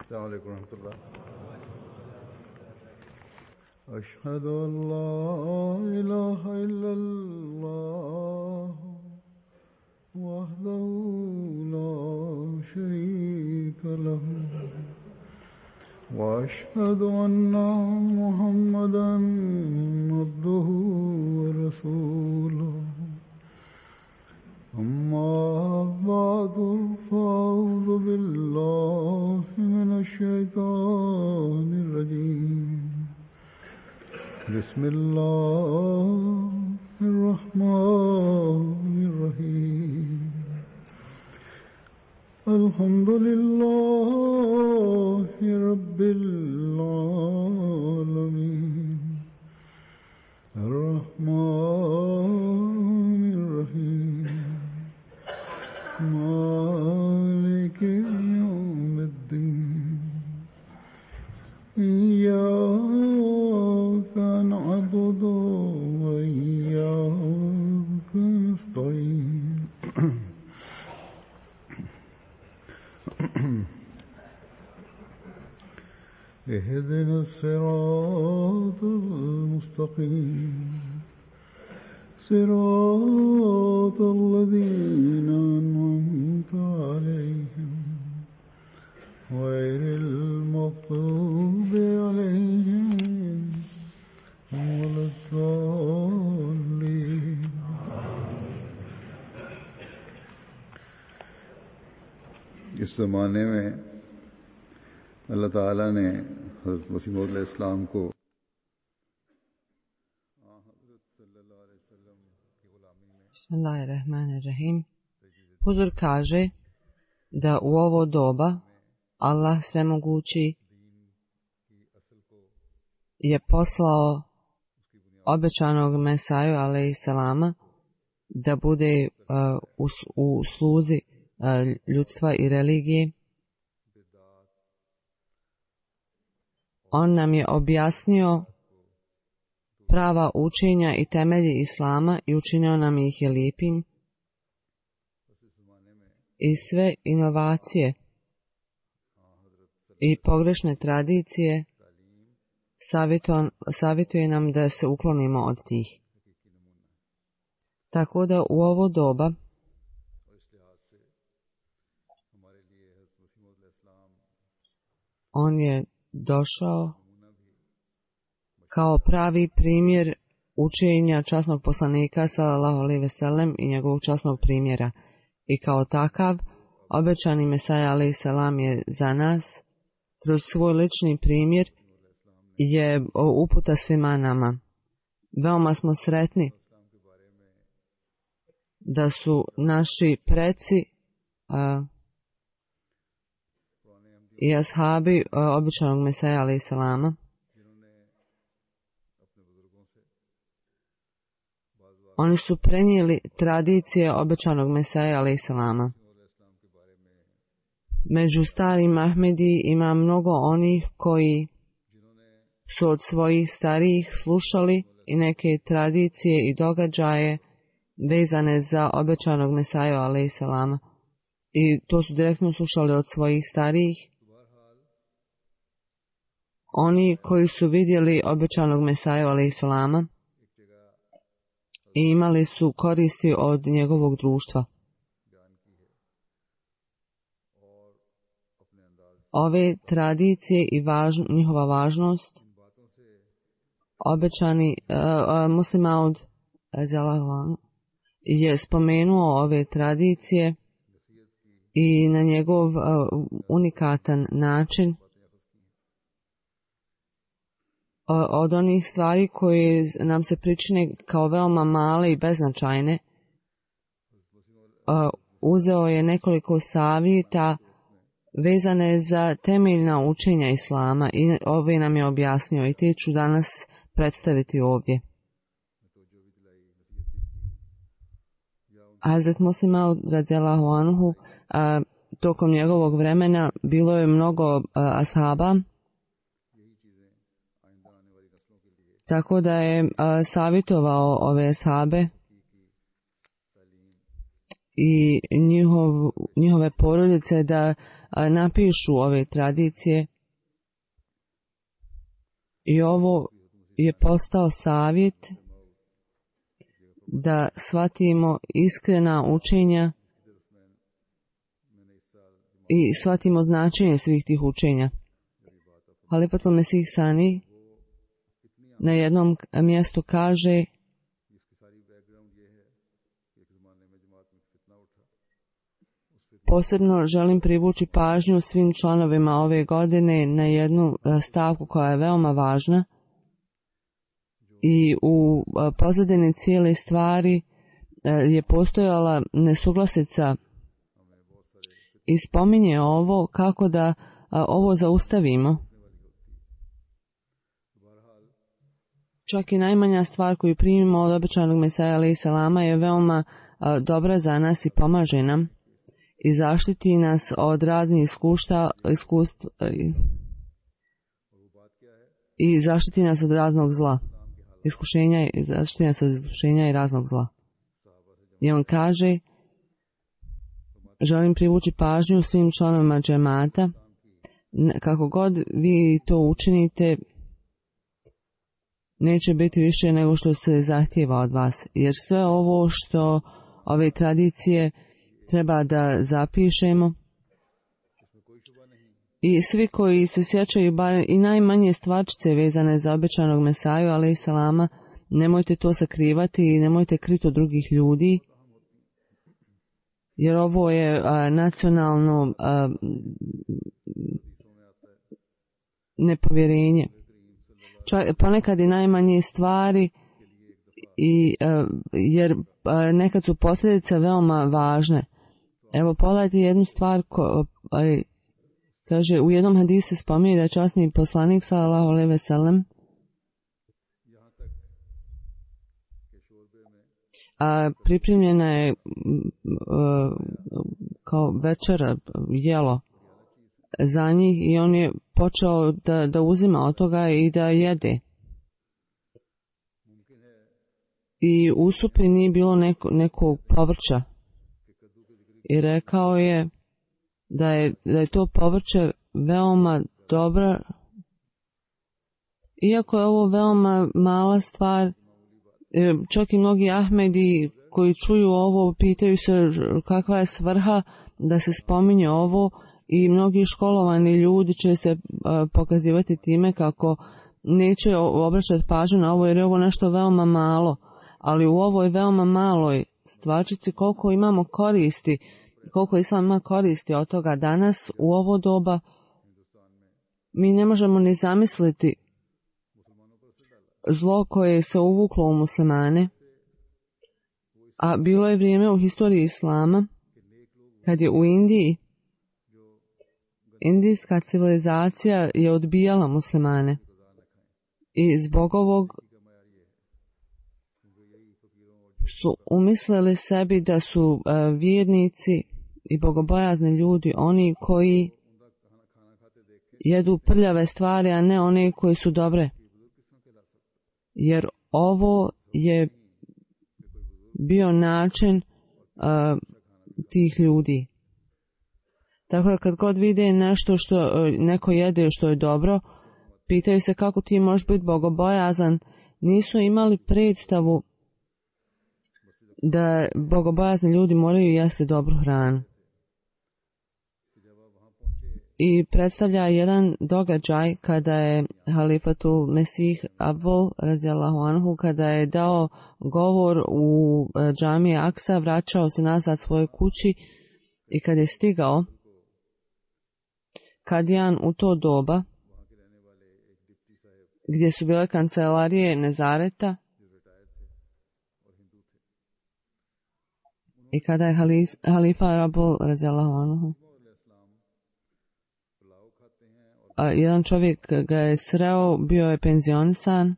السلام عليكم ورحمة الله. أشهد أن لا إله إلا الله وحده لا شريك له وأشهد أن محمدا عبده ورسوله أما بعد فأعوذ بالله من الشيطان الرجيم بسم الله الرحمن الرحيم الحمد لله رب العالمين الرحمن الرحيم مالك يوم الدين إياك نعبد وإياك نستعين اهدنا الصراط المستقيم صراط الذين أنعمت عليهم غير المغضوب عليهم ولا الضالين. इस ज़माने में अल्लाह ताला ने हज़रत मसीह मौऊद अलैहिस्सलाम को Bismillahirrahmanirrahim. Huzur kaže da u ovo doba Allah svemogući je poslao obećanog Mesaju alejselama da bude u sluzi ljudstva i religije. On nam je objasnio prava učenja i temelji Islama i učinio nam ih je lijepim. I sve inovacije i pogrešne tradicije savjetuje nam da se uklonimo od tih. Tako da u ovo doba on je došao kao pravi primjer učenja časnog poslanika sallallahu alejhi ve sellem i njegovog časnog primjera. I kao takav, obećani Mesaja alejselam je za nas, kroz svoj lični primjer, je uputa svima nama. Veoma smo sretni da su naši preci i ashabi obećanog Mesaja alejselama oni su prenijeli tradicije obećanog Mesaja alejselama. Među starim Ahmedi ima mnogo onih koji su od svojih starijih slušali i neke tradicije i događaje vezane za obećanog Mesaju alejselama. I to su direktno slušali od svojih starijih. Oni koji su vidjeli obećanog Mesaju alejselama i imali su koristi od njegovog društva. Ove tradicije i njihova važnost obećani Muslim Maud je spomenuo ove tradicije i na njegov unikatan način od onih stvari koje nam se pričine kao veoma male i beznačajne. Uzeo je nekoliko savjeta vezane za temeljna učenja Islama i ove nam je objasnio i te ću danas predstaviti ovdje. Hazret Muslim Maud radijallahu anhu, tokom njegovog vremena bilo je mnogo ashaba, tako da je savjetovao ove ashabe i njihove porodice da napišu ove tradicije. I ovo je postao savjet da shvatimo iskrena učenja i shvatimo značenje svih tih učenja. Halifatul Mesih Sani na jednom mjestu kaže: posebno želim privući pažnju svim članovima ove godine na jednu stavku koja je veoma važna i u pozadini cijele stvari je postojala nesuglasica i spominje ovo kako da ovo zaustavimo. Čak i najmanja stvar koju primimo od obećanog Mesaja alejhi selama je veoma dobra za nas i pomaže nam i zaštiti nas od raznih iskustva i zaštiti nas od raznog zla. Zaštiti nas od iskušenja i raznog zla. I on kaže: želim privući pažnju svim članovima džemata, kako god vi to učinite, neće biti više nego što se zahtijeva od vas, jer sve ovo što ove tradicije treba da zapišemo i svi koji se sjećaju bar i najmanje stvarčice vezane za obećanog Mesaju alejhi selama, nemojte to sakrivati i nemojte kriti od drugih ljudi, jer ovo je nacionalno nepovjerenje. Ponekad i najmanje stvari jer nekad su posljedice veoma važne. Evo, pogledajte jednu stvar, kaže, u jednom hadisu se spominje da je časni poslanik sallallahu alejhi ve sellem pripremljena je kao večera, jelo za njih i on je počeo da uzima od toga i da jede. I u supi nije bilo nekog povrća. I rekao je da je to povrće veoma dobro. Iako je ovo veoma mala stvar, čak i mnogi Ahmedi koji čuju ovo pitaju se kakva je svrha da se spominje ovo, i mnogi školovani ljudi će se pokazivati time kako neće obraćati pažnju na ovo jer je ovo nešto veoma malo, ali u ovoj veoma maloj stvarčici koliko imamo koristi, koliko Islam ima koristi od toga danas u ovo doba, mi ne možemo ni zamisliti zlo koje se uvuklo u muslimane, a bilo je vrijeme u historiji Islama kad je u Indiji indijska civilizacija je odbijala muslimane i zbog ovog su umislili sebi da su vjernici i bogobojazni ljudi oni koji jedu prljave stvari, a ne one koji su dobre. Jer ovo je bio način tih ljudi. Tako da kad god vide nešto što neko jede što je dobro, pitaju se kako ti možeš biti bogobojazan. Nisu imali predstavu da bogobojazni ljudi moraju jesti dobru hranu. I predstavlja jedan događaj kada je Halifatul Mesih Abdul radijallahu anhu, kada je dao govor u džamiji Aksa, vraćao se nazad svojoj kući i kad je stigao Kadijan u to doba, gdje su bile kancelarije Nezareta, i kada je halifa Abul radijallahu anhu, jedan čovjek ga je sreo, bio je penzionisan,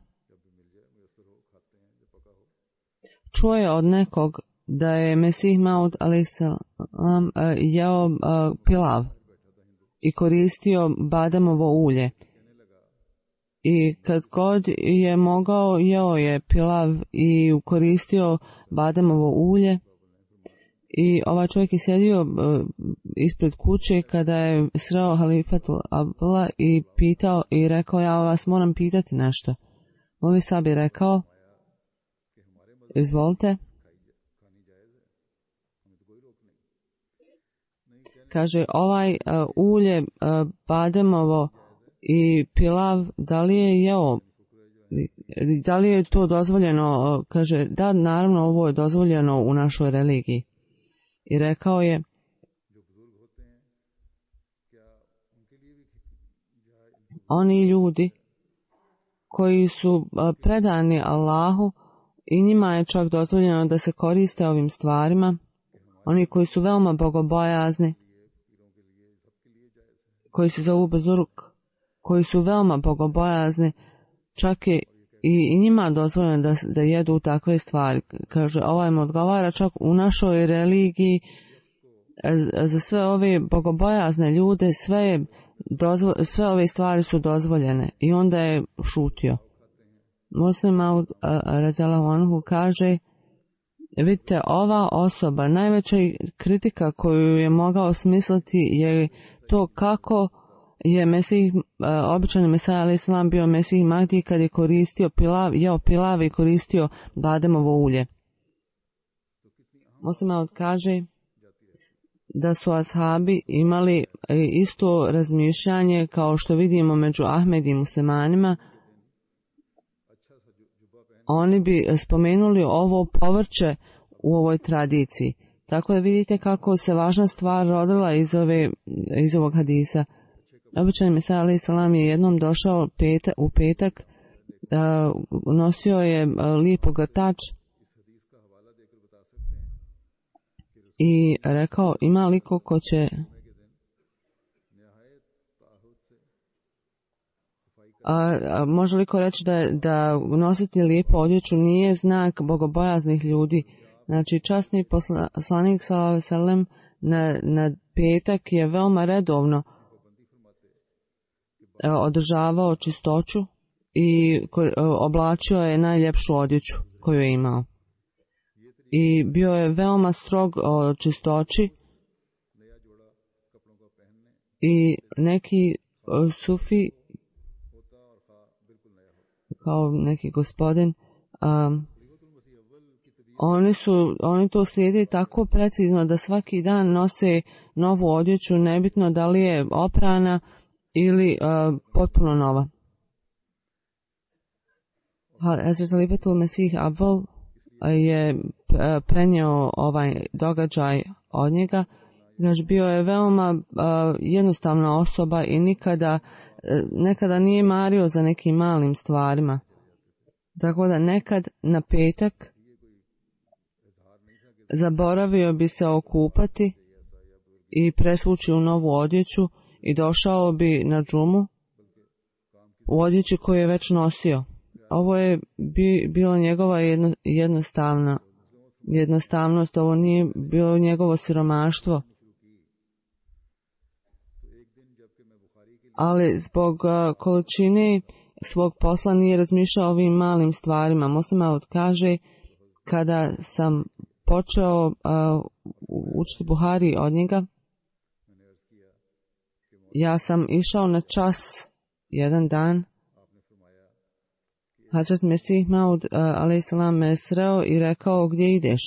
čuo je od nekog da je Mesih Maud alejhi selam jeo pilav i koristio bademovo ulje. I kad god je mogao, jeo je pilav i koristio bademovo ulje. I ovaj čovjek je sjedio ispred kuće kada je sreo halifatu Abdullah i pitao i rekao, ja vas moram pitati nešto. Movi Sab je rekao, izvolite. Kaže, ovaj ulje bademovo i pilav, da li je jeo, da li je to dozvoljeno? Kaže, da, naravno, ovo je dozvoljeno u našoj religiji. I rekao je, oni ljudi koji su predani Allahu i njima je čak dozvoljeno da se koriste ovim stvarima, oni koji su veoma bogobojazni, koji se zovu Bezuruk, koji su veoma bogobojazni, čak je i njima dozvoljeno da jedu takve stvari. Kaže, ovaj mu odgovara, čak u našoj religiji za sve ove bogobojazne ljude sve ove stvari su dozvoljene. I onda je šutio. Muslim Maud radijallahu anhu kaže, vidite, ova osoba, najveća kritika koju je mogao smisliti je to kako je Mesih, običani Mesaja alaih salam bio Mesih Mahdi kad je koristio jeo pilav i koristio bademovo ulje. Muslim kaže da su ashabi imali isto razmišljanje kao što vidimo među Ahmed i muslimanima. Oni bi spomenuli ovo povrće u ovoj tradiciji. Tako da vidite kako se važna stvar rodila iz ovog hadisa. Običan Mesaja alaih salam je jednom došao u petak, nosio je lijep ogrtač i rekao, ima li ko će može li ko reći da nositi lijepu odjeću nije znak bogobojaznih ljudi. Znači, časni poslanik sallallahu alejhi ve sellem na petak je veoma redovno održavao čistoću i oblačio je najljepšu odjeću koju je imao. I bio je veoma strog o čistoći i neki sufi, kao neki gospodin, oni to slijede tako precizno da svaki dan nose novu odjeću, nebitno da li je oprana ili potpuno nova. Hazret Halifatul Mesih Abdul je prenio ovaj događaj od njega. Znači, bio je veoma jednostavna osoba i nekada nije mario za nekim malim stvarima. Tako da nekad na petak zaboravio bi se okupati i presvući u novu odjeću i došao bi na džumu u odjeći koju je već nosio. Ovo je bilo njegova jednostavnost, ovo nije bilo njegovo siromaštvo. Ali zbog količine svog posla nije razmišljao o ovim malim stvarima. Muslim Maud kaže, kada sam počeo učiti Buhari od njega, ja sam išao na čas jedan dan. Hazret Mesih Maud alaih salam me sreo i rekao, gdje ideš?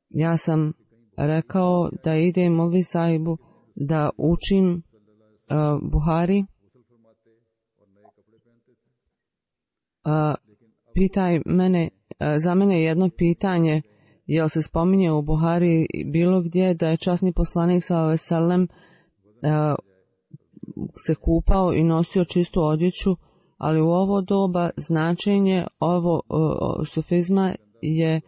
Ja sam rekao da idem Molvi sahibu da učim Buhari. Pitaj mene, za mene jedno pitanje, jel se spominje u Buhari bilo gdje da je časni poslanik sallallahu alejhi ve sellem se kupao i nosio čistu odjeću, ali u ovo doba značenje sufizma je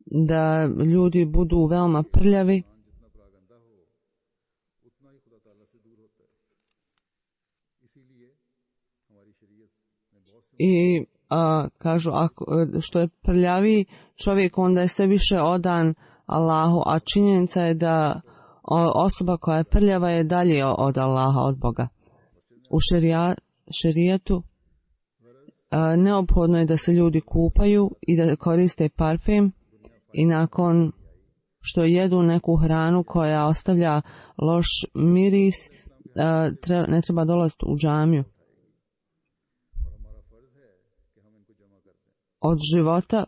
da ljudi budu veoma prljavi i kažu, što je prljaviji čovjek, onda je sve više odan Allahu, a činjenica je da osoba koja je prljava je dalje od Allaha, od Boga. U šerijatu neophodno je da se ljudi kupaju i da koriste parfem i nakon što jedu neku hranu koja ostavlja loš miris, ne treba dolaziti u džamiju. Od života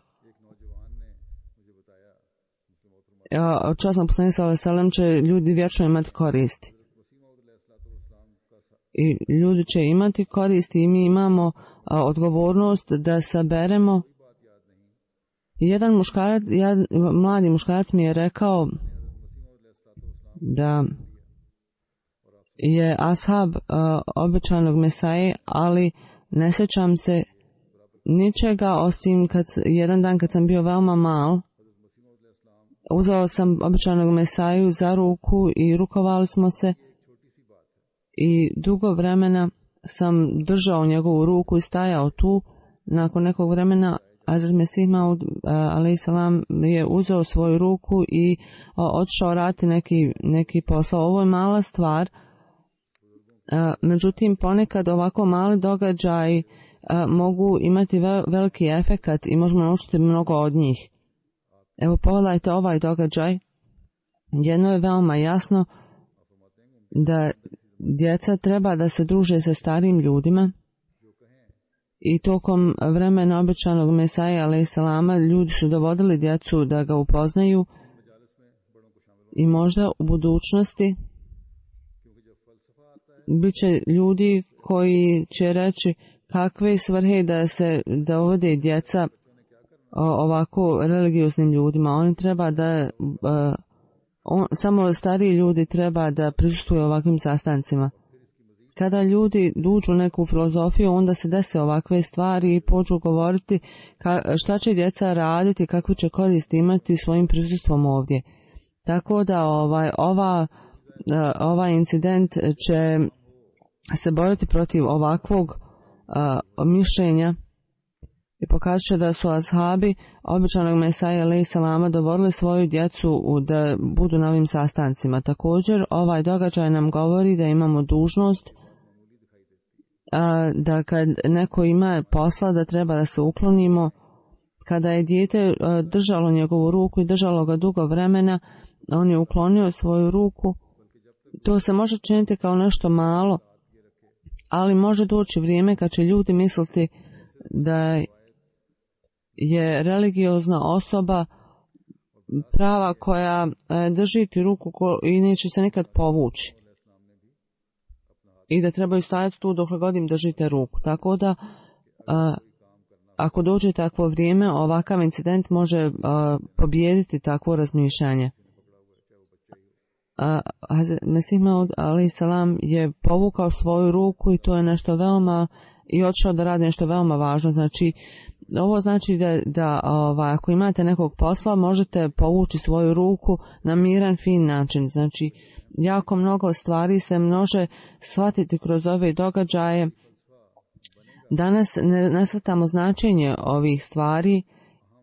časnog poslanika sallallahu alejhi ve sellem će ljudi vječno imati koristi. I ljudi će imati koristi i mi imamo odgovornost da saberemo. Jedan mladi muškarac mi je rekao da je ashab obećanog Mesaje, ali ne sjećam se ničega osim jedan dan kad sam bio veoma mal, uzeo sam obećanog Mesaju za ruku i rukovali smo se i dugo vremena sam držao njegovu ruku i stajao tu. Nakon nekog vremena Hazret Mesih Maud alejselam je uzeo svoju ruku i otišao raditi neki posao. Ovo je mala stvar, međutim ponekad ovako mali događaji mogu imati veliki efekat i možemo naučiti mnogo od njih. Evo pogledajte ovaj događaj. Jedno je veoma jasno, da djeca treba da se druže sa starim ljudima i tokom vremena obećanog Mesaje alejselama ljudi su dovodili djecu da ga upoznaju i možda u budućnosti bit će ljudi koji će reći kakve svrhe da se dovode djeca ovako religioznim ljudima. Oni treba da samo stariji ljudi treba da prisustvuju ovakvim sastancima. Kada ljudi duđu neku filozofiju, onda se dese ovakve stvari i počnu govoriti šta će djeca raditi, kakvu će korist imati svojim prisustvom ovdje. Tako da ovaj incident će se boriti protiv ovakvog mišljenja i pokazat će da su ashabi obećanog Mesaje alejselama dovodili svoju djecu da budu na ovim sastancima. Također ovaj događaj nam govori da imamo dužnost da kad neko ima posla da treba da se uklonimo. Kada je dijete držalo njegovu ruku i držalo ga dugo vremena, on je uklonio svoju ruku. To se može činiti kao nešto malo, ali može doći vrijeme kad će ljudi misliti da je religiozna osoba prava koja drži ti ruku i neće se nikad povući. I da trebaju stajati tu dok god im držite ruku. Tako da, ako dođe takvo vrijeme, ovakav incident može pobijediti takvo razmišljanje. Mesih Maud alejselam je povukao svoju ruku i to je nešto veoma, i otišao da radi nešto veoma važno. Znači, ovo znači da ako imate nekog posla, možete povući svoju ruku na miran, fin način. Znači, jako mnogo stvari se može shvatiti kroz ove događaje. Danas ne shvatamo značenje ovih stvari,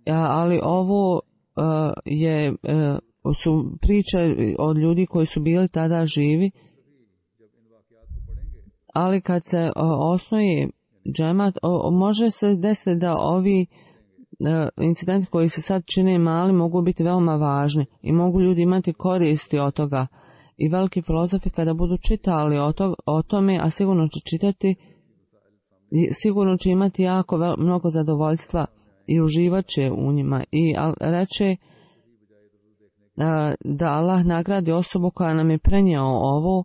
ali ovo su priče od ljudi koji su bili tada živi. Ali kad se osnuje džemat, može se desiti da ovi incidenti koji se sad čine mali mogu biti veoma važni i mogu ljudi imati koristi od toga. I veliki filozofi kada budu čitali o tome, a sigurno će čitati, sigurno će imati jako mnogo zadovoljstva i uživat će u njima. I reče da Allah nagradi osobu koja nam je prenijela ovo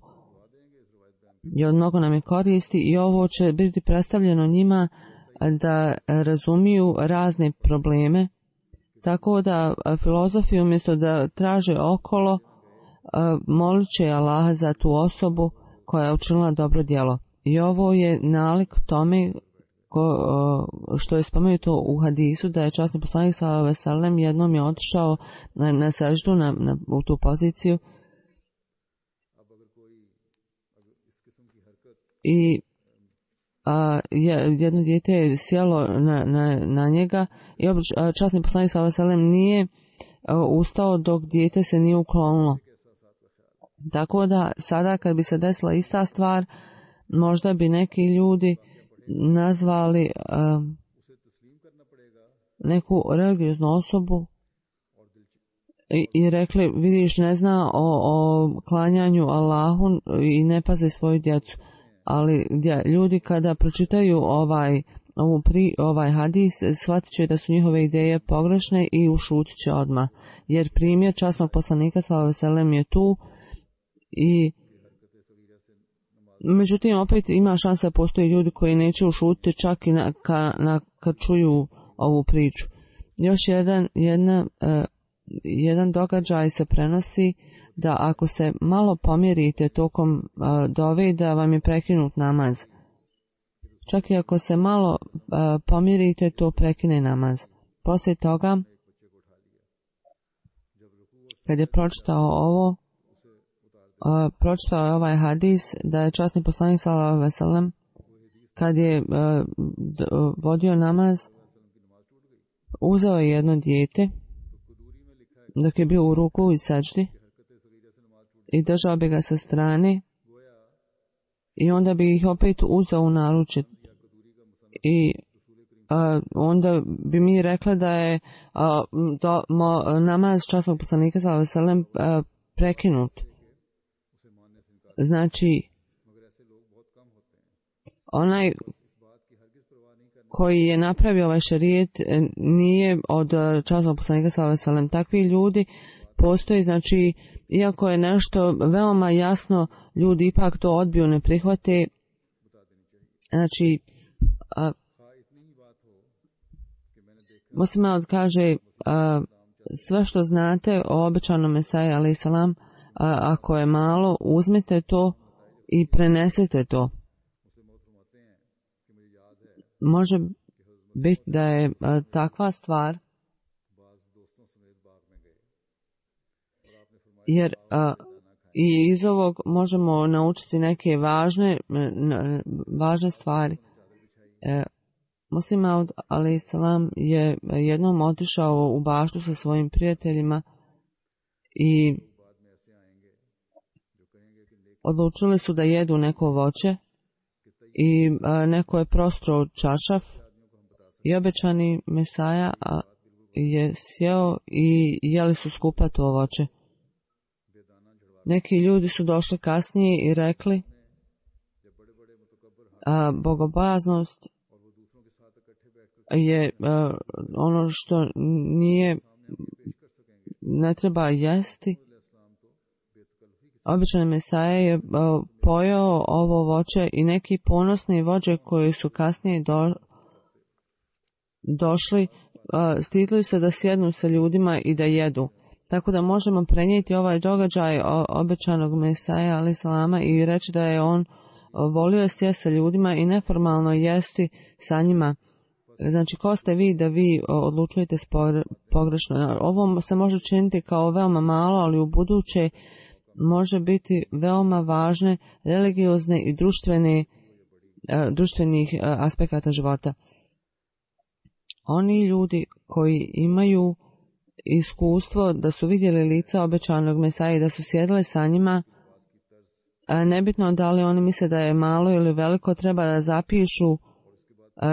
i od mnogo nam je koristi i ovo će biti predstavljeno njima da razumiju razne probleme. Tako da filozofi umjesto da traže okolo, molit će Allaha za tu osobu koja je učinila dobro djelo. I ovo je nalik tome što je spomenuto u hadisu, da je časni poslanik sallallahu alejhi ve sellem jednom je otišao na seždu u tu poziciju i jedno dijete je sjelo na njega i časni poslanik sallallahu alejhi ve sellem nije ustao dok dijete se nije uklonilo. Tako da sada kad bi se desila ista stvar, možda bi neki ljudi nazvali neku religioznu osobu i rekli, vidiš, ne zna o klanjanju Allahu i ne paze svoju djecu. Ali ljudi kada pročitaju ovaj hadis, shvatit će da su njihove ideje pogrešne i ušutit će odmah. Jer primjer časnog poslanika sallallahu alejhi ve sellem je tu i međutim opet ima šansa da postoje ljudi koji neće ušutiti čak i kad čuju ovu priču. Još jedan događaj se prenosi da ako se malo pomjerite tokom dove da vam je prekinut namaz. Čak i ako se malo pomjerite, to prekine namaz. Poslije toga, kad je pročitao je ovaj hadis da je časni poslanik sallallahu alejhi ve sellem kad je vodio namaz uzeo je jedno dijete dok je bio u ruku i sećdi i držao bi ga sa strane i onda bi ih opet uzeo u naručje i onda bi mi rekla da je namaz časnog poslanika sallallahu alejhi ve sellem prekinut. Znači, onaj koji je napravio ovaj šerijet nije od časnog poslanika sallallahu alejhi ve sellem. Takvi ljudi postoji, znači, iako je nešto veoma jasno, ljudi ipak to odbiju, ne prihvate. Znači, Muslim kaže, sve što znate o obećanom Mesaji alejhi selam, ako je malo, uzmite to i prenesete to. Može biti da je takva stvar, jer i iz ovog možemo naučiti neke važne stvari. Muslim Maud alejhi selam je jednom otišao u baštu sa svojim prijateljima i odlučili su da jedu neko voće i neko je prostro čašaf i obećani Mesaja je sjeo i jeli su skupa to voće. Neki ljudi su došli kasnije i rekli, bogobojaznost je ono što ne treba jesti. Običan Mesaja je pojeo ovo voće i neki ponosni vođe koji su kasnije došli, stidili se da sjednu sa ljudima i da jedu. Tako da možemo prenijeti ovaj događaj obećanog Mesaja alejhi selama i reći da je on volio sjesti sa ljudima i neformalno jesti sa njima. Znači, ko ste vi da vi odlučujete pogrešno? Ovo se može činiti kao veoma malo, ali u buduće može biti veoma važne religiozne i društvenih aspekata života. Oni ljudi koji imaju iskustvo da su vidjeli lica obećanog Mesaje i da su sjedili sa njima, nebitno da li oni misle da je malo ili veliko, treba da zapišu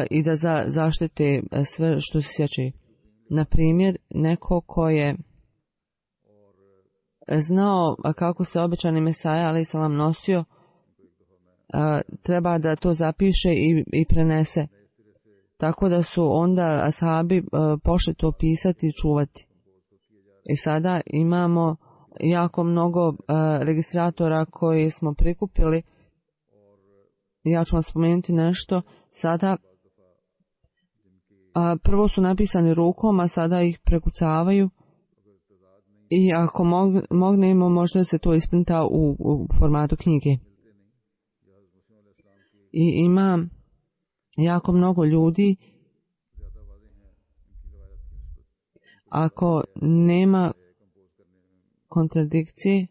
i da zaštite sve što se sjeća. Na primjer, neko ko je znao kako se obećani Mesaja alejhi selam nosio, treba da to zapiše i prenese. Tako da su onda ashabi pošli to pisati i čuvati. I sada imamo jako mnogo registratora koji smo prikupili. Ja ću vam spomenuti nešto. Sada prvo su napisani rukom, a sada ih prekucavaju. I ako mognemo, možda se to isprinta u formatu knjige. I ima jako mnogo ljudi. Ako nema kontradikcije,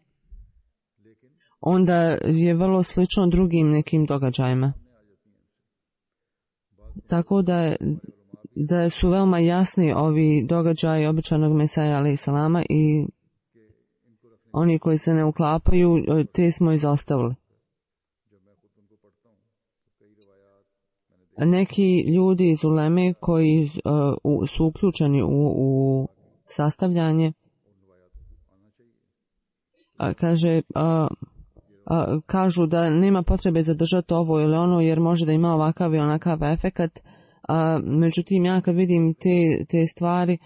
onda je vrlo slično drugim nekim događajima. Tako da su veoma jasni ovi događaji obećanog Mesaja alejhi selama i oni koji se ne uklapaju, te smo izostavili. Neki ljudi iz uleme koji su uključeni u sastavljanje kažu da nema potrebe zadržati ovo ili ono jer može da ima ovakav i onakav efekat. Međutim, ja kad vidim te stvari,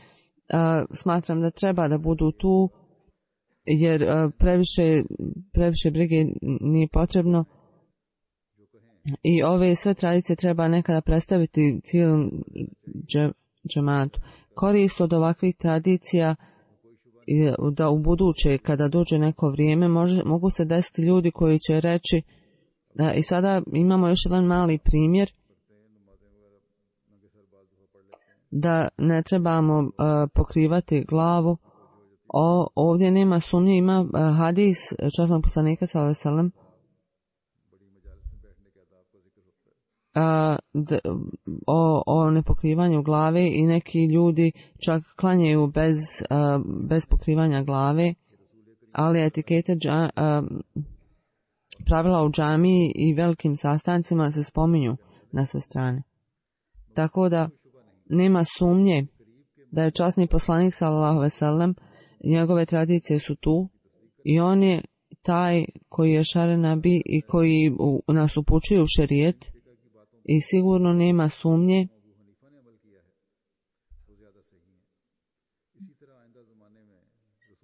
smatram da treba da budu tu jer previše brige nije potrebno i ove sve tradicije treba nekada predstaviti cijelom džematu. Korist od ovakvih tradicija da u buduće kada dođe neko vrijeme mogu se desiti ljudi koji će reći i sada imamo još jedan mali primjer da ne trebamo pokrivati glavu. Ovdje nema sumnje, ima hadis časnog poslanika sallallahu alejhi ve sellem o nepokrivanju glave i neki ljudi čak klanjaju bez pokrivanja glave, ali etikete pravila u džamiji i velikim sastancima se spominju na sve strane. Tako da nema sumnje da je časni poslanik sallallahu alejhi ve sellem, njegove tradicije su tu i on je taj koji je šare nabi i koji nas upućuje u šerijet i sigurno nema sumnje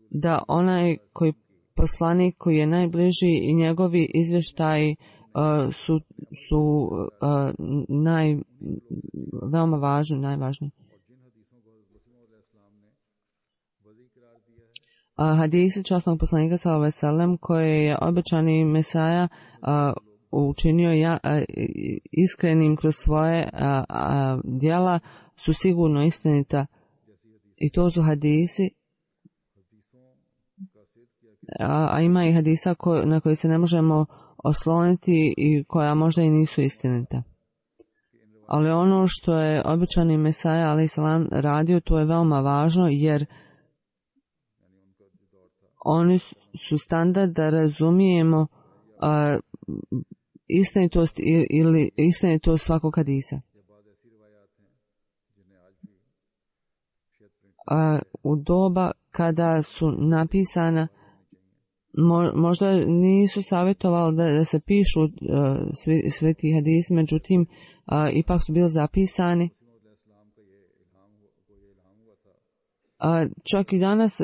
da onaj koji poslanik koji je najbliži i njegovi izvještaji su veoma važni, najvažniji. Hadisi časnog poslanika sallallahu alejhi ve sellem koje je obećani Mesaja učinio iskrenim kroz svoje djela su sigurno istinita i to su hadisi, a ima i hadisa na koje se ne možemo osloniti i koja možda i nisu istinita. Ali ono što je obećani Mesaja alejhi selam radio, to je veoma važno jer oni su standard da razumijemo istinitost ili istinitost svakog hadisa. U doba kada su napisana, možda nisu savjetovali da se pišu svi ti hadisi, međutim ipak su bili zapisani. Čak i danas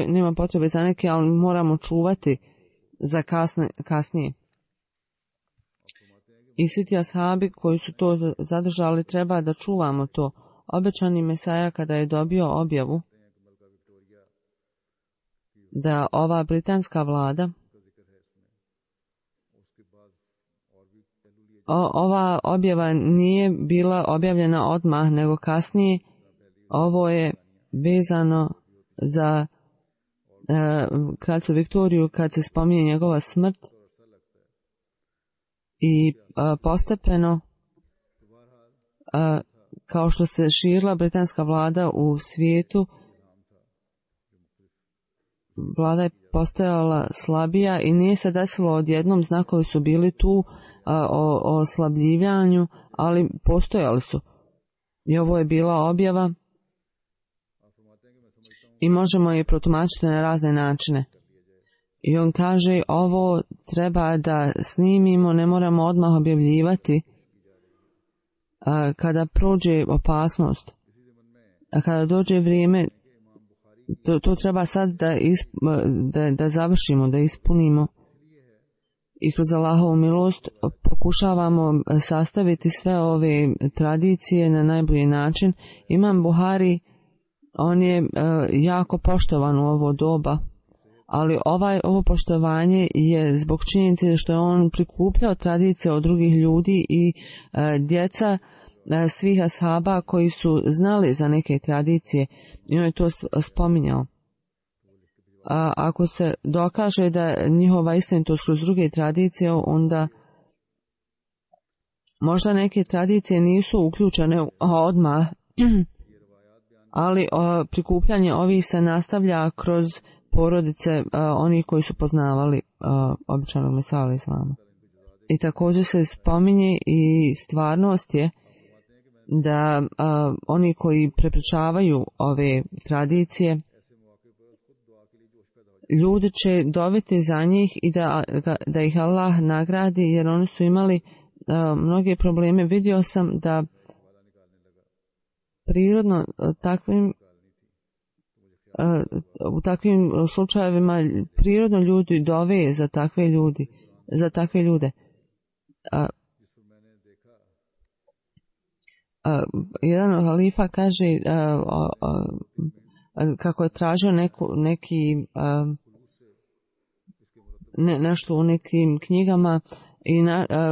nema potrebe za neke, ali moramo čuvati za kasnije. I svi ti ashabi koji su to zadržali, treba da čuvamo to. Obećani Mesaja kada je dobio objavu da ova britanska vlada, ova objava nije bila objavljena odmah, nego kasnije. Ovo je vezano za kraljicu Viktoriju kad se spominje njegova smrt i postepeno kao što se širila britanska vlada u svijetu, vlada je postajala slabija i nije se desilo odjednom, znakovi su bili tu o oslabljivanju, ali postojali su. I ovo je bila objava i možemo je protumačiti na razne načine. I on kaže, ovo treba da snimimo, ne moramo odmah objavljivati kada prođe opasnost. A kada dođe vrijeme, to treba sad da završimo, da ispunimo. I kroz Allahovu milost pokušavamo sastaviti sve ove tradicije na najbolji način. Imam Buhari, on je jako poštovan u ovo doba, ali ovo poštovanje je zbog činjenice što je on prikupljao tradicije od drugih ljudi i djeca svih ashaba koji su znali za neke tradicije i on je to spominjao. Ako se dokaže da njihova istinitost kroz druge tradicije, onda možda neke tradicije nisu uključene odmah, ali prikupljanje ovih se nastavlja kroz porodice onih koji su poznavali običanog Mesija alejhi selama. I također se spominje i stvarnost je da oni koji prepričavaju ove tradicije ljudi će doviti za njih i da ih Allah nagradi, jer oni su imali mnoge probleme. Vidio sam da prirodno u takvim slučajevima prirodno ljudi dove za takve ljude. Jedan halifa kaže kako je tražio nešto u nekim knjigama i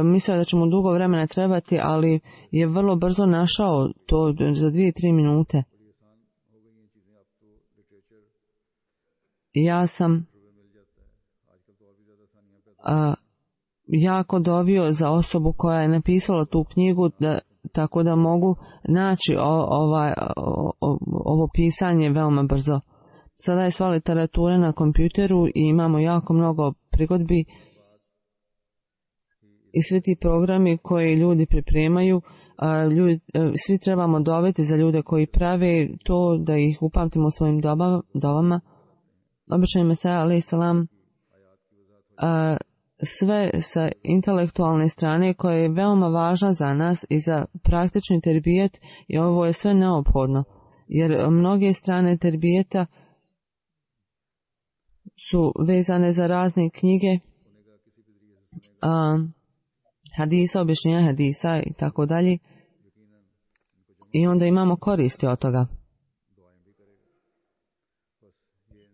mislio da će mu dugo vremena trebati, ali je vrlo brzo našao to za 2-3 minute. Ja sam jako dovio za osobu koja je napisala tu knjigu, tako da mogu naći ovo pisanje veoma brzo. Sada je sva literatura na kompjuteru i imamo jako mnogo prigodbi i svi ti programi koji ljudi pripremaju. Svi trebamo doveti za ljude koji prave to, da ih upamtimo u svojim dobama. Obični Mesaja alejhi selam sve sa intelektualne strane koja je veoma važna za nas i za praktični terbijet, i ovo je sve neophodno, jer mnoge strane terbijeta su vezane za razne knjige, hadisa, objašnjenja hadisa i tako dalje, i onda imamo koristi od toga.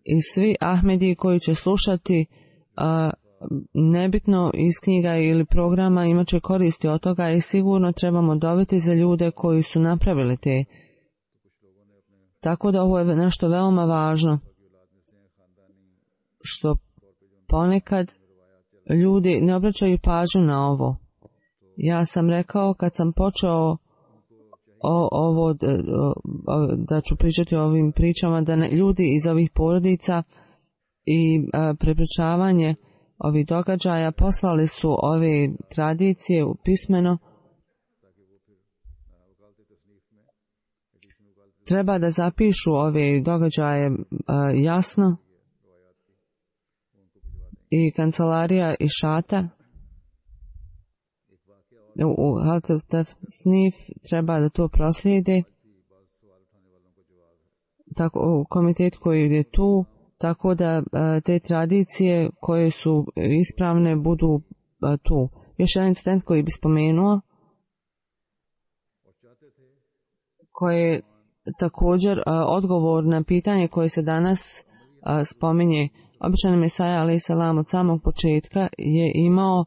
I svi Ahmedi koji će slušati nebitno iz knjiga ili programa imat će koristi od toga, i sigurno trebamo dobiti za ljude koji su napravili te. Tako da ovo je nešto veoma važno, što ponekad ljudi ne obraćaju pažnju na ovo. Ja sam rekao kad sam počeo da ću pričati o ovim pričama, da ljudi iz ovih porodica i prepričavanje ovih događaja poslali su ove tradicije u pismeno. Treba da zapišu ove događaje jasno, i kancelarija i šata u Tasnif treba da to proslijede, tako u komitet koji je tu, tako da te tradicije koje su ispravne budu tu. Još jedan incident koji bi spomenuo, koji je također odgovor na pitanje koje se danas spominje. Običan Mesaja alejhi selam od samog početka je imao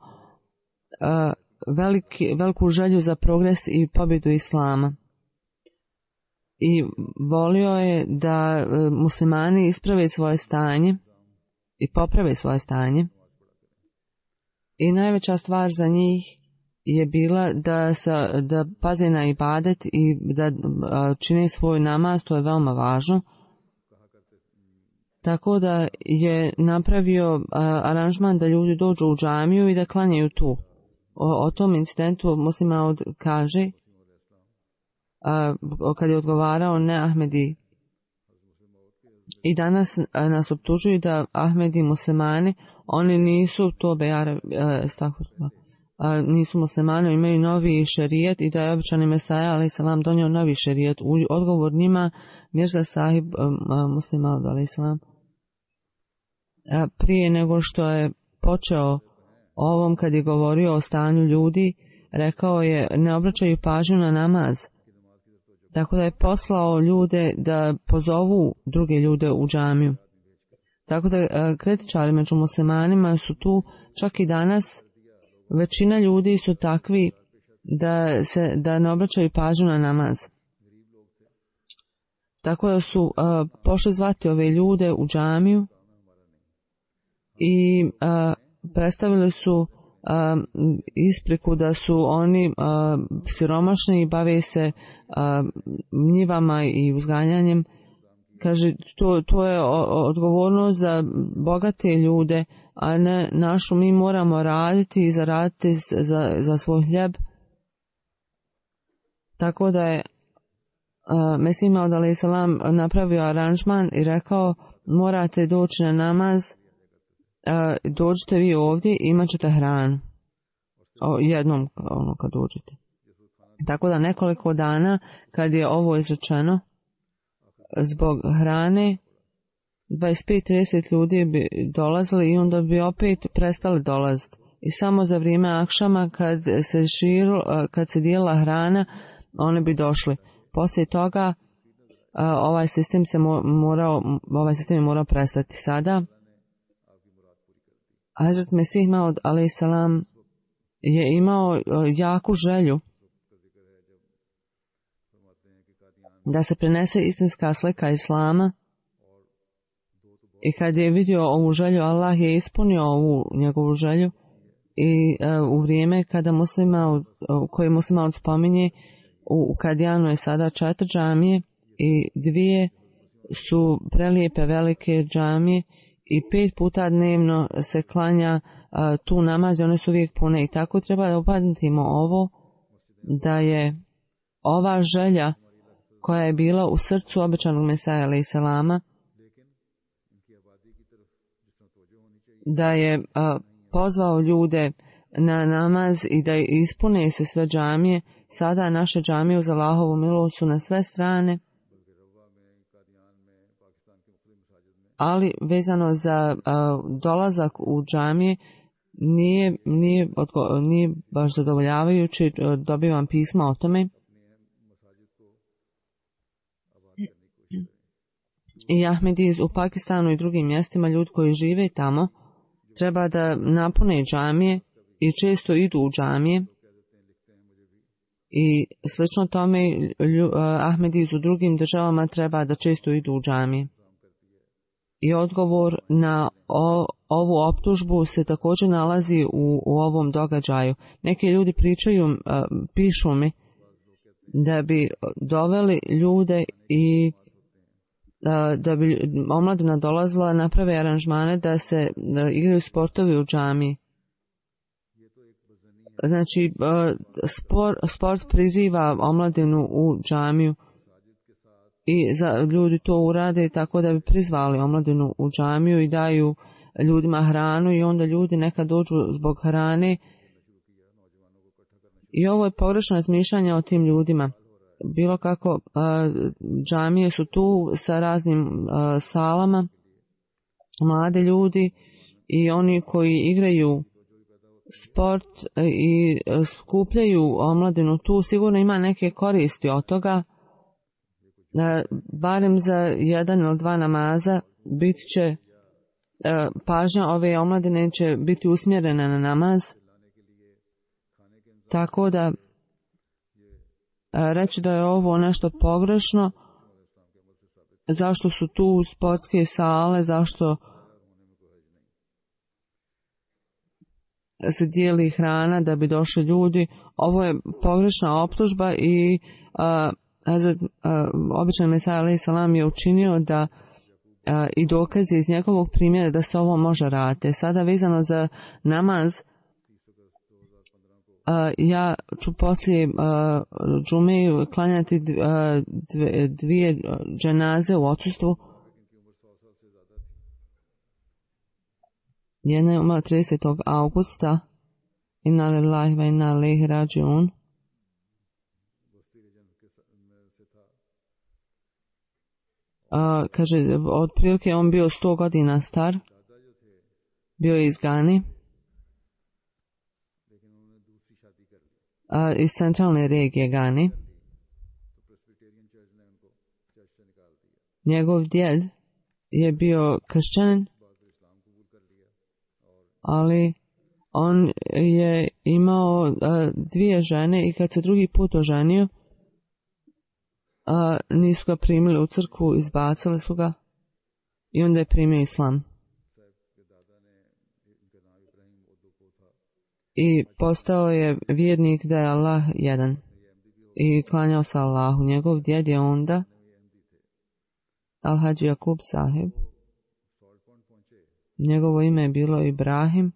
veliku želju za progres i pobjedu islama. I volio je da muslimani isprave svoje stanje i poprave svoje stanje. I najveća stvar za njih je bila da paze na ibadet i da čine svoj namaz, to je veoma važno. Tako da je napravio aranžman da ljudi dođu u džamiju i da klanjaju tu. O tom incidentu Muslim Maud kaže, kad je odgovarao ne Ahmedi. I danas nas optužuju da Ahmedi muslimani, oni nisu to nisu muslimani, imaju novi šerijet, i da je običani Mesaja alejhi selam donio novi šerijet. Odgovor njima Mirza Sahib Muslim Maud alejhi selam, prije nego što je počeo ovom, kad je govorio o stanju ljudi, rekao je ne obraćaju pažnju na namaz. Tako da je poslao ljude da pozovu druge ljude u džamiju. Tako da kritičari među muslimanima su tu, čak i danas većina ljudi su takvi da ne obraćaju pažnju na namaz. Tako da su pošli zvati ove ljude u džamiju i predstavili su ispriku da su oni siromašni i bave se njivama i uzganjanjem. Kaže, to je odgovornost za bogate ljude, a ne našu. Mi moramo raditi i zaraditi za svoj hljeb. Tako da je Mesih Maud alejhi selam napravio aranžman i rekao morate doći na namaz, dođite vi ovdje i imat ćete hranu. Jednom kad dođete. Tako da nekoliko dana kad je ovo izrečeno, zbog hrane 25-30 ljudi bi dolazili i onda bi opet prestali dolaziti. I samo za vrijeme akšama kad se dijelila hrana, oni bi došli. Poslije toga ovaj sistem je morao prestati. Sada Hazrat Mesih Maud alejhi selam je imao jaku želju da se prenese istinska slika Islama i kad je vidio ovu želju, Allah je ispunio ovu njegovu želju i u vrijeme kada koje Muslim Maud spominje, u Kadijanu je sada 4 džamije i 2 su prelijepe velike džamije i 5 puta dnevno se klanja tu namaz i one su uvijek pune i tako treba da upamtimo ovo, da je ova želja koja je bila u srcu obećanog Mesaja alejhi selama, da je pozvao ljude na namaz i da ispune se sve džamije. Sada naše džamije uz Allahovu milost su na sve strane, ali vezano za dolazak u džamije nije baš zadovoljavajući. Dobivam pisma o tome. I Ahmediz u Pakistanu i drugim mjestima, ljudi koji žive tamo, treba da napune džamije i često idu u džamije. I slično tome Ahmediz u drugim državama treba da često idu u džamije. I odgovor na ovu optužbu se također nalazi u ovom događaju. Neki ljudi pišu mi da bi doveli ljude i da bi omladina dolazila, naprave aranžmane da se igraju sportovi u džamiji. Znači, sport priziva omladinu u džamiju i ljudi to urade tako da bi prizvali omladinu u džamiju i daju ljudima hranu i onda ljudi nekad dođu zbog hrane. I ovo je pogrešno razmišljanje o tim ljudima. Bilo kako, džamije su tu sa raznim salama, mlade ljudi i oni koji igraju sport i skupljaju omladinu tu, sigurno ima neke koristi od toga. Barem za 1 ili 2 namaza bit će pažnja ove omladine će biti usmjerena na namaz. Tako da reći da je ovo nešto pogrešno, zašto su tu sportske sale, zašto se dijeli hrana da bi došli ljudi, ovo je pogrešna optužba i običan Mesaja alejhi selam je učinio da i dokazi iz njegovog primjera da se ovo može raditi. Sada vezano za namaz, ja ću poslije džume klanjati 2 dženaze u odsustvu. Jedna je umrla 30. augusta. Inna lillahi wa inna ilaihi rađiun. Kaže, otprilike on bio 100 godina star. Bio je iz Gane. Iz centralne regije Gane. Njegov djed je bio kršćanin, ali on je imao 2 žene i kad se drugi put oženio, nisu ga primili u crkvu, izbacili su ga i onda je primio islam. I postao je vjernik da je Allah jedan i klanjao se Allahu. Njegov djed je onda Al-Hadži Jakub Sahib. Njegovo ime je bilo Ibrahim.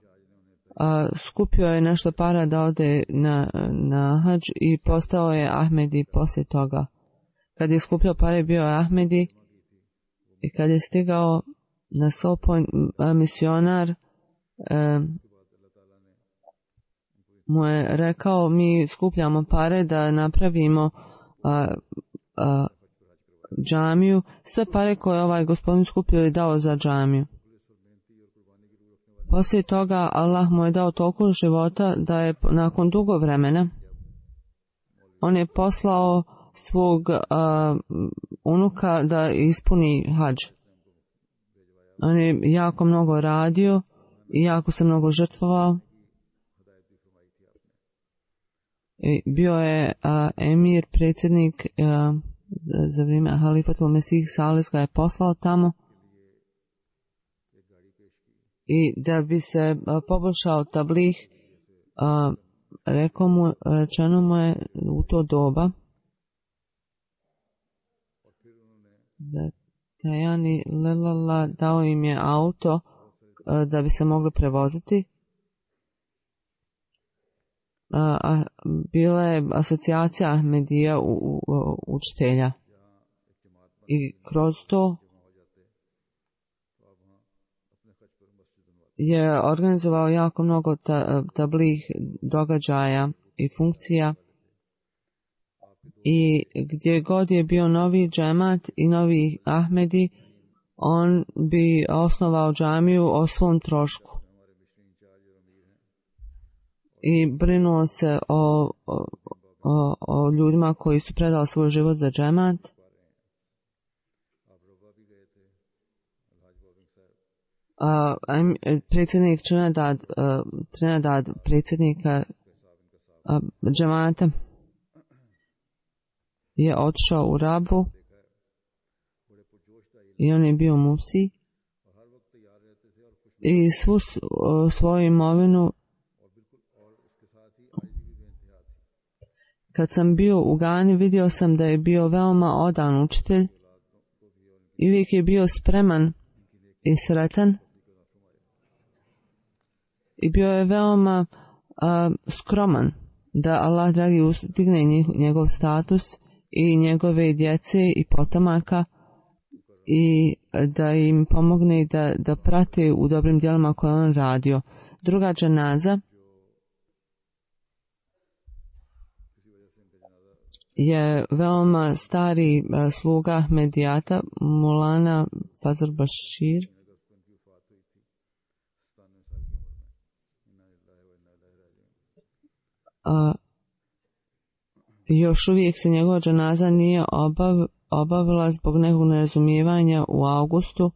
Skupio je nešto para da ode na hadž i postao je Ahmedi poslije toga. Kad je skupljao pare, bio je Ahmedi i kad je stigao na Sopon misionar mu je rekao, mi skupljamo pare da napravimo džamiju, sve pare koje ovaj gospodin skupio i dao za džamiju. Poslije toga Allah mu je dao toliko života da je nakon dugo vremena on je poslao svog unuka da ispuni hadž. On je jako mnogo radio i jako se mnogo žrtvovao. I bio je emir, predsjednik za vrijeme Halifatul Mesih Salis ga je poslao tamo. I da bi se poboljšao tablih, rečeno mu je u to doba za Tajani Lelala dao im je auto da bi se mogli prevoziti. Bila je asocijacija Ahmedija učitelja i kroz to je organizovao jako mnogo tablih događaja i funkcija i gdje god je bio novi džemat i novi Ahmedi, on bi osnovao džamiju o svom trošku i brinuo se o ljudima koji su predali svoj život za džemat. Predsjednik Trinidad predsjednika džemata je otišao u Rabu i on je bio musi i svu svoju imovinu. Kad sam bio u Gani, vidio sam da je bio veoma odan učitelj i uvijek je bio spreman i sretan i bio je veoma skroman da Allah dragi ustigne njegov status i njegove djece i potomaka i da im pomogne da prate u dobrim djelima koje on radio. Druga dženaza je veoma stari sluga Ahmedijata, Mulana Fazl Bashir. Još uvijek se njegova dženaza nije obavila zbog nekog nerazumijevanja u augustu.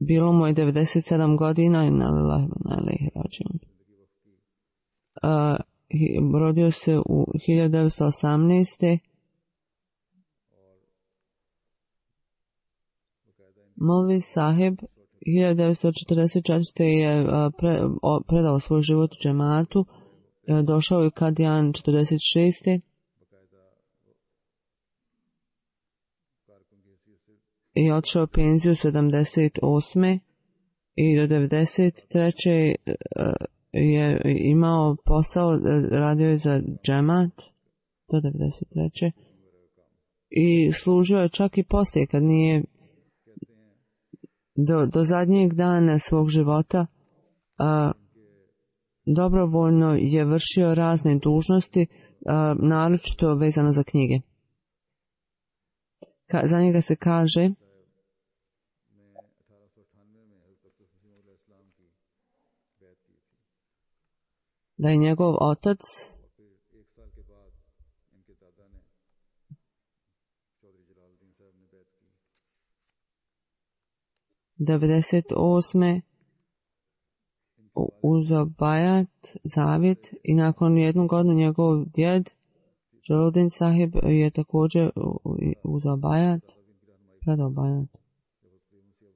Bilo mu je 97 godina i rodio se u 1918. Molvi Sahib 1944. je predao svoj život džematu. Došao je Kadijan 46. I otišao penziju 78. I do 93. je imao posao, radio je za džemat do 93. I služio je čak i poslije kad nije do zadnjeg dana svog života dobrovoljno je vršio razne dužnosti, naročito vezano za knjige. Za njega se kaže da je njegov otac '98. uzeo bajat, zavjet i nakon jednu godinu njegov djed Jalaluddin Sahib je također uzeo bajat, predao bajat.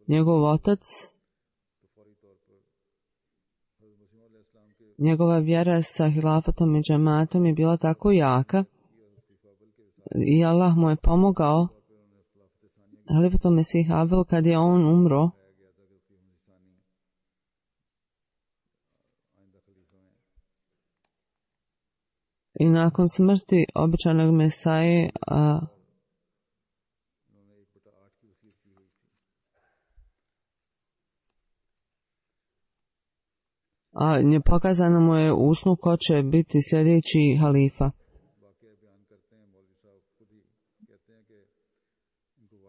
Njegov otac, njegova vjera sa hilafatom i džematom je bila tako jaka i Allah mu je pomogao Halifatul Mesih Abel kad je on umro. I nakon smrti običajnog Mesaje a pokazano mu je u snu ko će biti sljedeći halifa.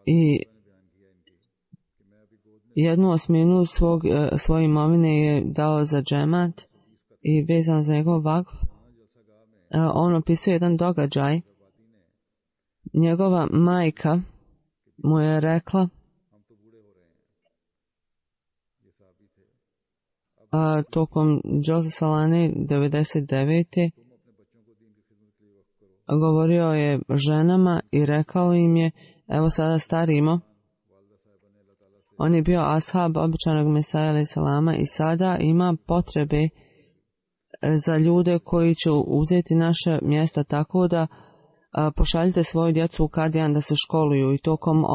I 1/8 svoje imovine je dao za džemat i vezano za njegov vakf. On opisuje jedan događaj. Njegova majka mu je rekla tokom Džoza Salane 99. govorio je ženama i rekao im je, evo sada starimo. On je bio ashab običanog Mesaja alaih salama i sada ima potrebe za ljude koji će uzeti naše mjesta, tako da pošaljite svoju djecu u Kadijan da se školuju. I tokom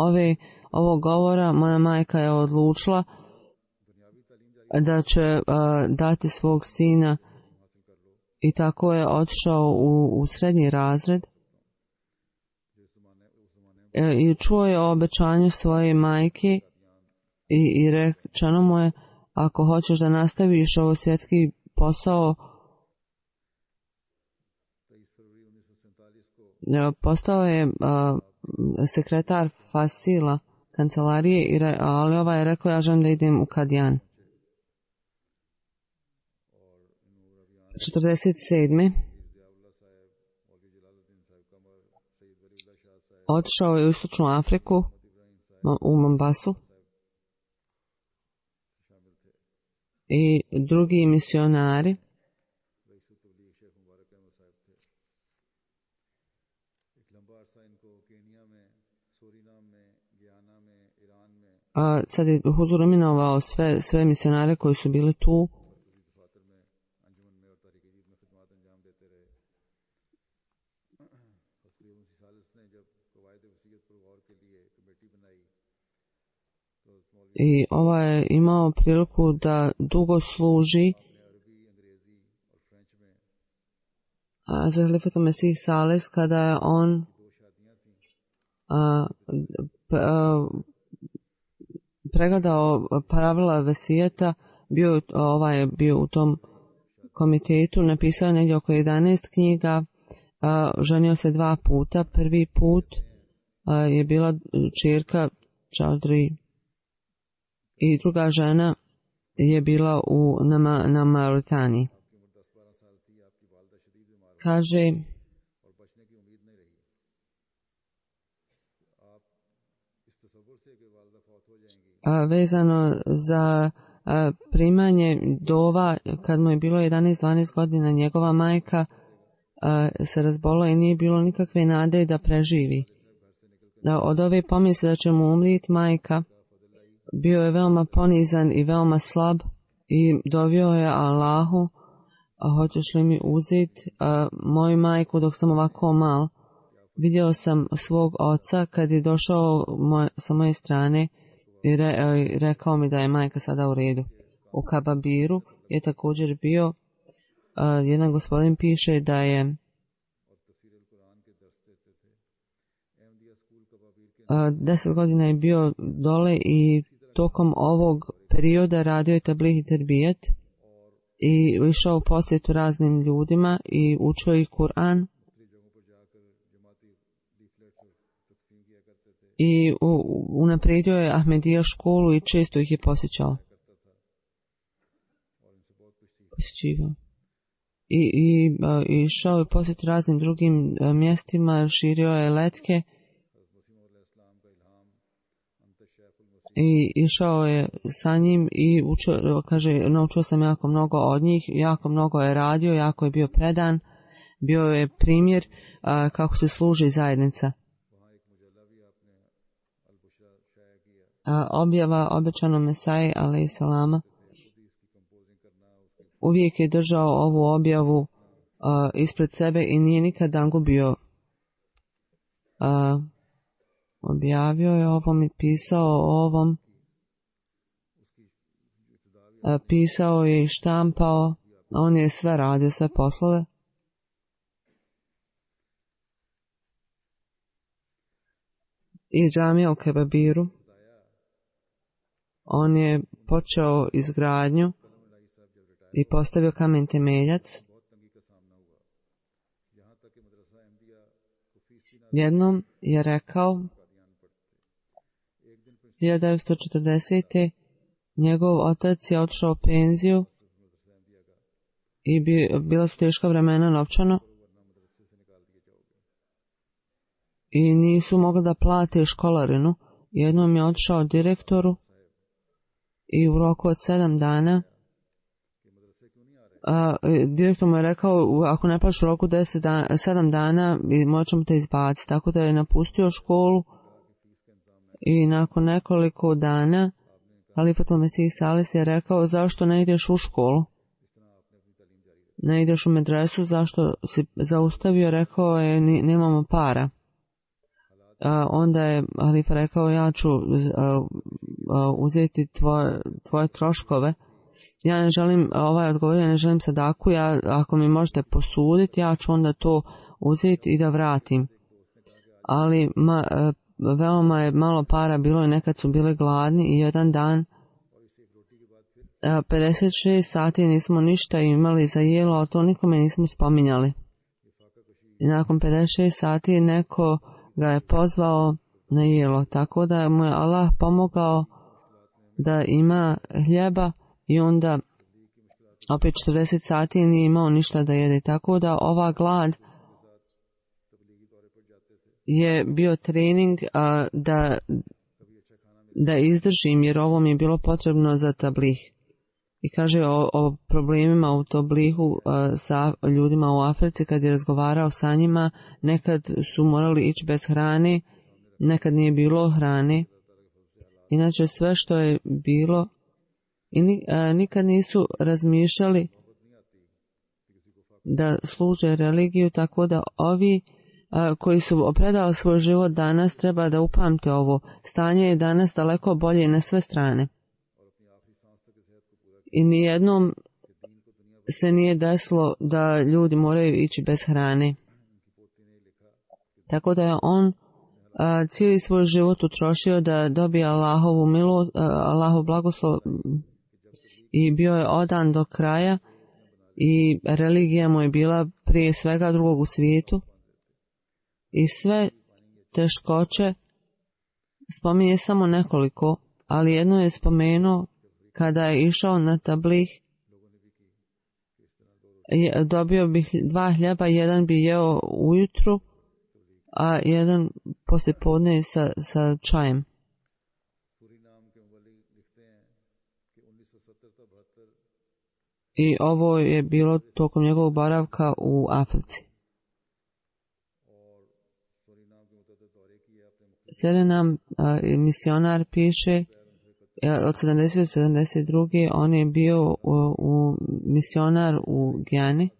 ovog govora moja majka je odlučila da će dati svog sina i tako je otišao u srednji razred i čuo je o obećanju svoje majke i rečeno mu je, ako hoćeš da nastaviš ovo svjetski posao, postao je sekretar Fasila kancelarije, ali ovaj je rekao, ja želim da idem u Kadijan. 47. Otišao je u Istočnu Afriku, u Mombasu, i drugi misionari sad je Huzur imenovao sve misionare koji su bili tu. I ovaj je imao priliku da dugo služi za halifata Mesih Sales kada je on pregledao pravila vesijeta, ovaj je bio u tom komitetu, napisao negdje oko 11 knjiga, ženio se 2 puta. Prvi put je bila čerka Čaudri i druga žena je bila na Mauritaniji. Kaže, vezano za primanje dova, kad mu je bilo 11-12 godina, njegova majka se razbola i nije bilo nikakve nade da preživi. Od ove pomisli da će mu umriti majka, bio je veoma ponizan i veoma slab i dovio je Allahu, hoćeš li mi uzeti moju majku dok sam ovako mal. Vidio sam svog oca kad je došao sa moje strane i rekao mi da je majka sada u redu. U Kababiru je također bio, jedan gospodin piše da je 10 godina je bio dole i tokom ovog perioda radio je tabligh i terbijet i išao u posjetu raznim ljudima i učio ih Kur'an i unaprijedio je Ahmedija školu i često ih je posjećivao. I išao je posjetu raznim drugim mjestima, širio je letke i išao je sa njim i učio, kaže, naučio sam jako mnogo od njih, jako mnogo je radio, jako je bio predan, bio je primjer kako se služi zajednica. Objava obećanom Mesaji alaih salama, uvijek je držao ovu objavu ispred sebe i nije nikad gubio. Objavio je ovom i pisao o ovom, pisao je i štampao, on je sve radio, sve poslove. I džamija u Kebabiru, on je počeo izgradnju i postavio kamen temeljac. Jednom je rekao 1940. njegov otac je otišao u penziju i bila su teška vremena novčano i nisu mogli da plate školarinu. Jednom je otišao direktoru i u roku od 7 dana direktor mu je rekao ako ne plaćaš u roku 7 dana moćemo te izbaciti, tako da je napustio školu i nakon nekoliko dana Halifatul Mesih Salis je rekao zašto ne ideš u školu, ne ideš u medresu, zašto si zaustavio, rekao je nemamo para. Onda je Halifa rekao ja ću uzeti tvoje troškove. Ja ne želim, odgovorio, ja ne želim sadaku, ako mi možete posuditi, ja ću onda to uzeti i da vratim. Ali veoma je malo para bilo i nekad su bili gladni i jedan dan 56 sati nismo ništa imali za jelo, a to nikome nismo spominjali. I nakon 56 sati neko ga je pozvao na jelo, tako da mu je Allah pomogao da ima hljeba i onda opet 40 sati nije imao ništa da jede, tako da ova glad je bio trening da izdržim, jer ovo mi je bilo potrebno za tablih. I kaže o problemima u tablihu sa ljudima u Africi, kad je razgovarao sa njima, nekad su morali ići bez hrane, nekad nije bilo hrane. Inače sve što je bilo i nikad nisu razmišljali da služe religiju, tako da ovi koji su predali svoj život danas treba da upamte ovo. Stanje je danas daleko bolje na sve strane. I nijednom se nije desilo da ljudi moraju ići bez hrane. Tako da je on cijeli svoj život utrošio da dobije Allahovu milost, Allahov blagoslov i bio je odan do kraja i religija mu je bila prije svega drugog u svijetu. I sve teškoće spominje samo nekoliko, ali jedno je spomenuo kada je išao na tablih, dobio bi 2 hljeba, jedan bi jeo ujutru, a jedan poslijepodne sa čajem. I ovo je bilo tokom njegovog boravka u Africi. Serenam misionar piše od 70 do 72. on je bio misionar u Gijani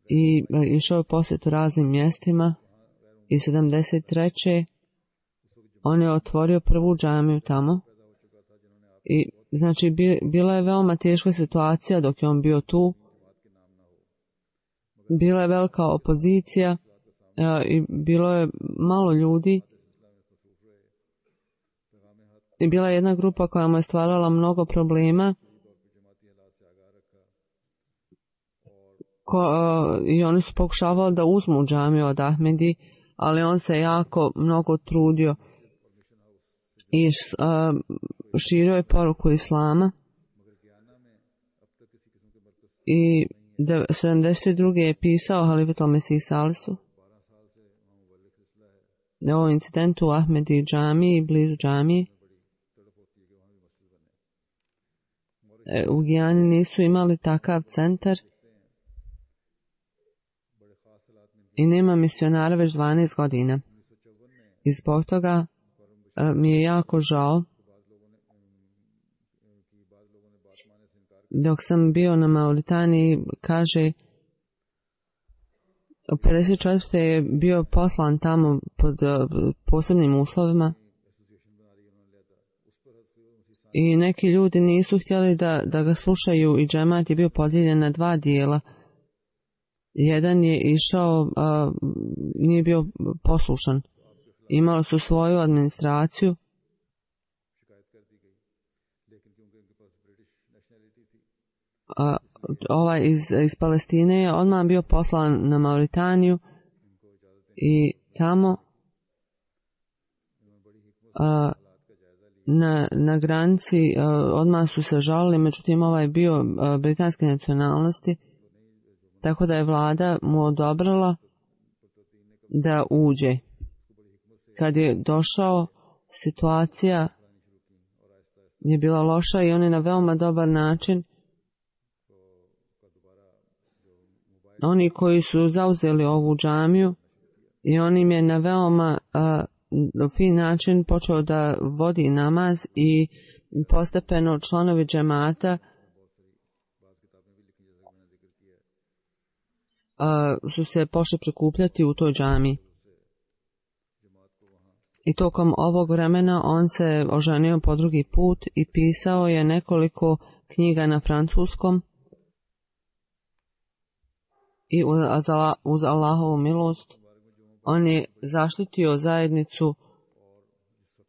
i išao je posjetu raznim mjestima i 73. on je otvorio prvu džamiju tamo i znači bila je veoma teška situacija dok je on bio tu, bila je velika opozicija i bilo je malo ljudi i bila je jedna grupa koja mu je stvarala mnogo problema i oni su pokušavali da uzmu džamiju od Ahmedi, ali on se jako mnogo trudio i širio je poruku islama i 72. je pisao Halifatul Mesih Salisu o incidentu u Ahmedi džamiji, blizu džamije. U Gijani nisu imali takav centar i nema misionara već 12 godina. I zbog toga mi je jako žao. Dok sam bio na Mauritaniji, kaže, u 54. je bio poslan tamo pod posebnim uslovima i neki ljudi nisu htjeli da ga slušaju i džemat je bio podijeljen na 2 dijela. Jedan je išao, nije bio poslušan. Imali su svoju administraciju ovaj iz Palestine je odmah bio poslan na Mauritaniju i tamo na granici odmah su se žalili, međutim ovaj bio britanske nacionalnosti, tako da je vlada mu odobrila da uđe. Kad je došao, situacija je bila loša i on je na veoma dobar način, oni koji su zauzeli ovu džamiju, i on im je na veoma fin način počeo da vodi namaz i postepeno članovi džemata su se pošli prikupljati u toj džamiji. I tokom ovog vremena on se oženio po drugi put i pisao je nekoliko knjiga na francuskom i uz Allahovu milost on je zaštitio zajednicu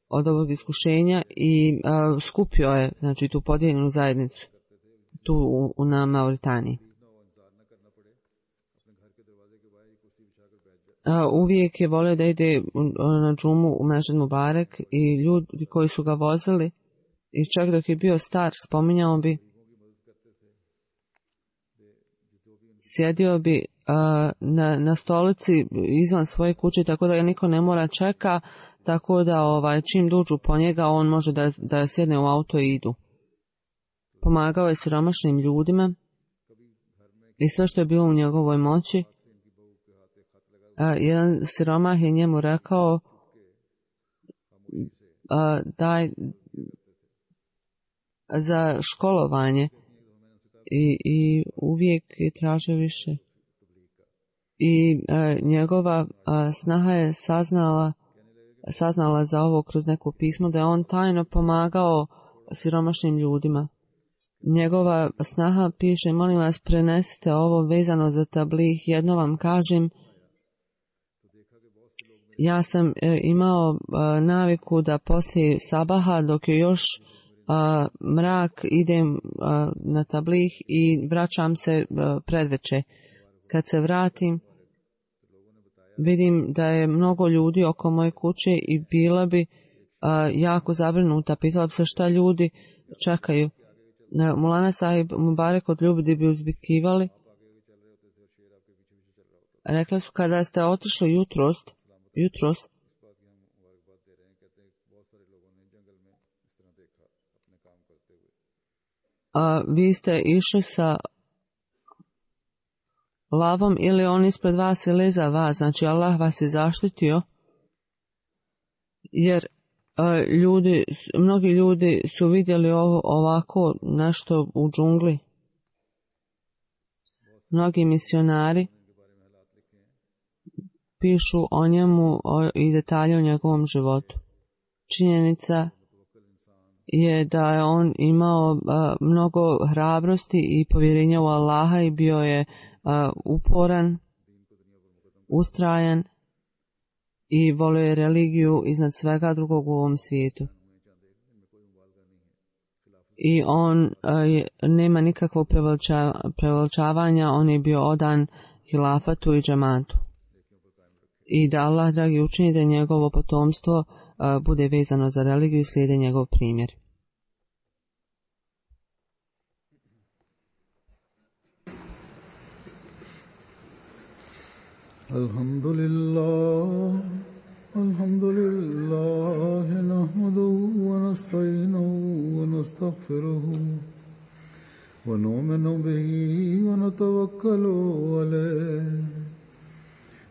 od ovog iskušenja i skupio je, znači, tu podijeljenu zajednicu tu na Mauritaniji. Uvijek je volio da ide na džumu u Mešid Mubarek i ljudi koji su ga vozili, i čak dok je bio star, spominjao bi, sjedio bi na stolici izvan svoje kuće, tako da ga niko ne mora čeka, tako da čim dođu po njega on može da sjedne u auto i idu. Pomagao je siromašnim ljudima i sve što je bilo u njegovoj moći. Jedan siromah je njemu rekao daj za školovanje i uvijek je tražio više. I njegova snaha je saznala za ovo kroz neko pismo, da je on tajno pomagao siromašnim ljudima. Njegova snaha piše, molim vas prenesite ovo vezano za tablih, jedno vam kažem, ja sam imao naviku da poslije sabaha, dok je još mrak, idem na tablih i vraćam se predveče. Kad se vratim, vidim da je mnogo ljudi oko moje kuće i bila bi jako zabrinuta. Pitala bi se šta ljudi čekaju. Mulana Sahib Mubarek od ljudi bi uzvikivali. Rekli su, kada ste otišli jutros, vi ste išli sa lavom ili on ispred vas ili za vas, znači Allah vas je zaštitio, jer mnogi ljudi su vidjeli ovako nešto u džungli. Mnogi misionari pišu o njemu i detalje o njegovom životu. Činjenica je da je on imao mnogo hrabrosti i povjerenja u Allaha i bio je uporan, ustrajan i volio je religiju iznad svega drugog u ovom svijetu. I on nema nikakvog preveličavanja, on je bio odan hilafatu i džamatu. I da Allah, dragi, učini da njegovo potomstvo bude vezano za religiju i slijede njegov primjer. Alhamdulillah, nahmaduhu wa nasta'inuhu wa nastaghfiruhu wa nu'minu bihi wa natawakkalu alayhi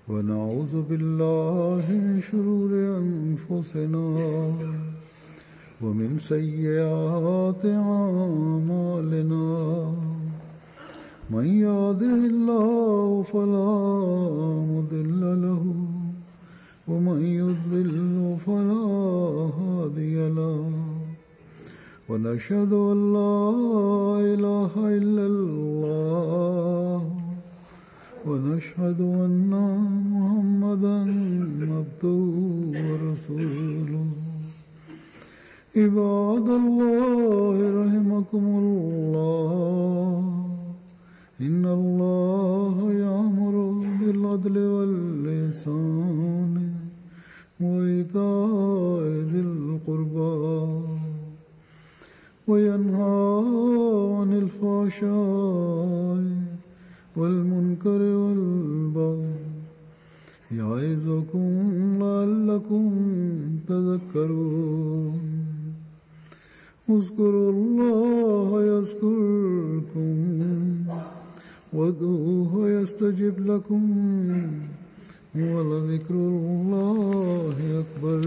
wa na'udhu billahi min shururi anfusina wa min sayyiati a'malina. من يهده الله فلا مضل له ومن يضلل فلا هادي له ونشهد أن لا إله إلا الله ونشهد أن محمدا عبده ورسوله. عباد الله رحمكم الله إن الله يأمر بالعدل والإحسان وإيتاء ذي القربى وينهى عن الفحشاء والمنكر والبغي يعظكم لعلكم تذكرون اذكروا الله يذكركم وادعوه يستجب لكم ولذكر الله أكبر.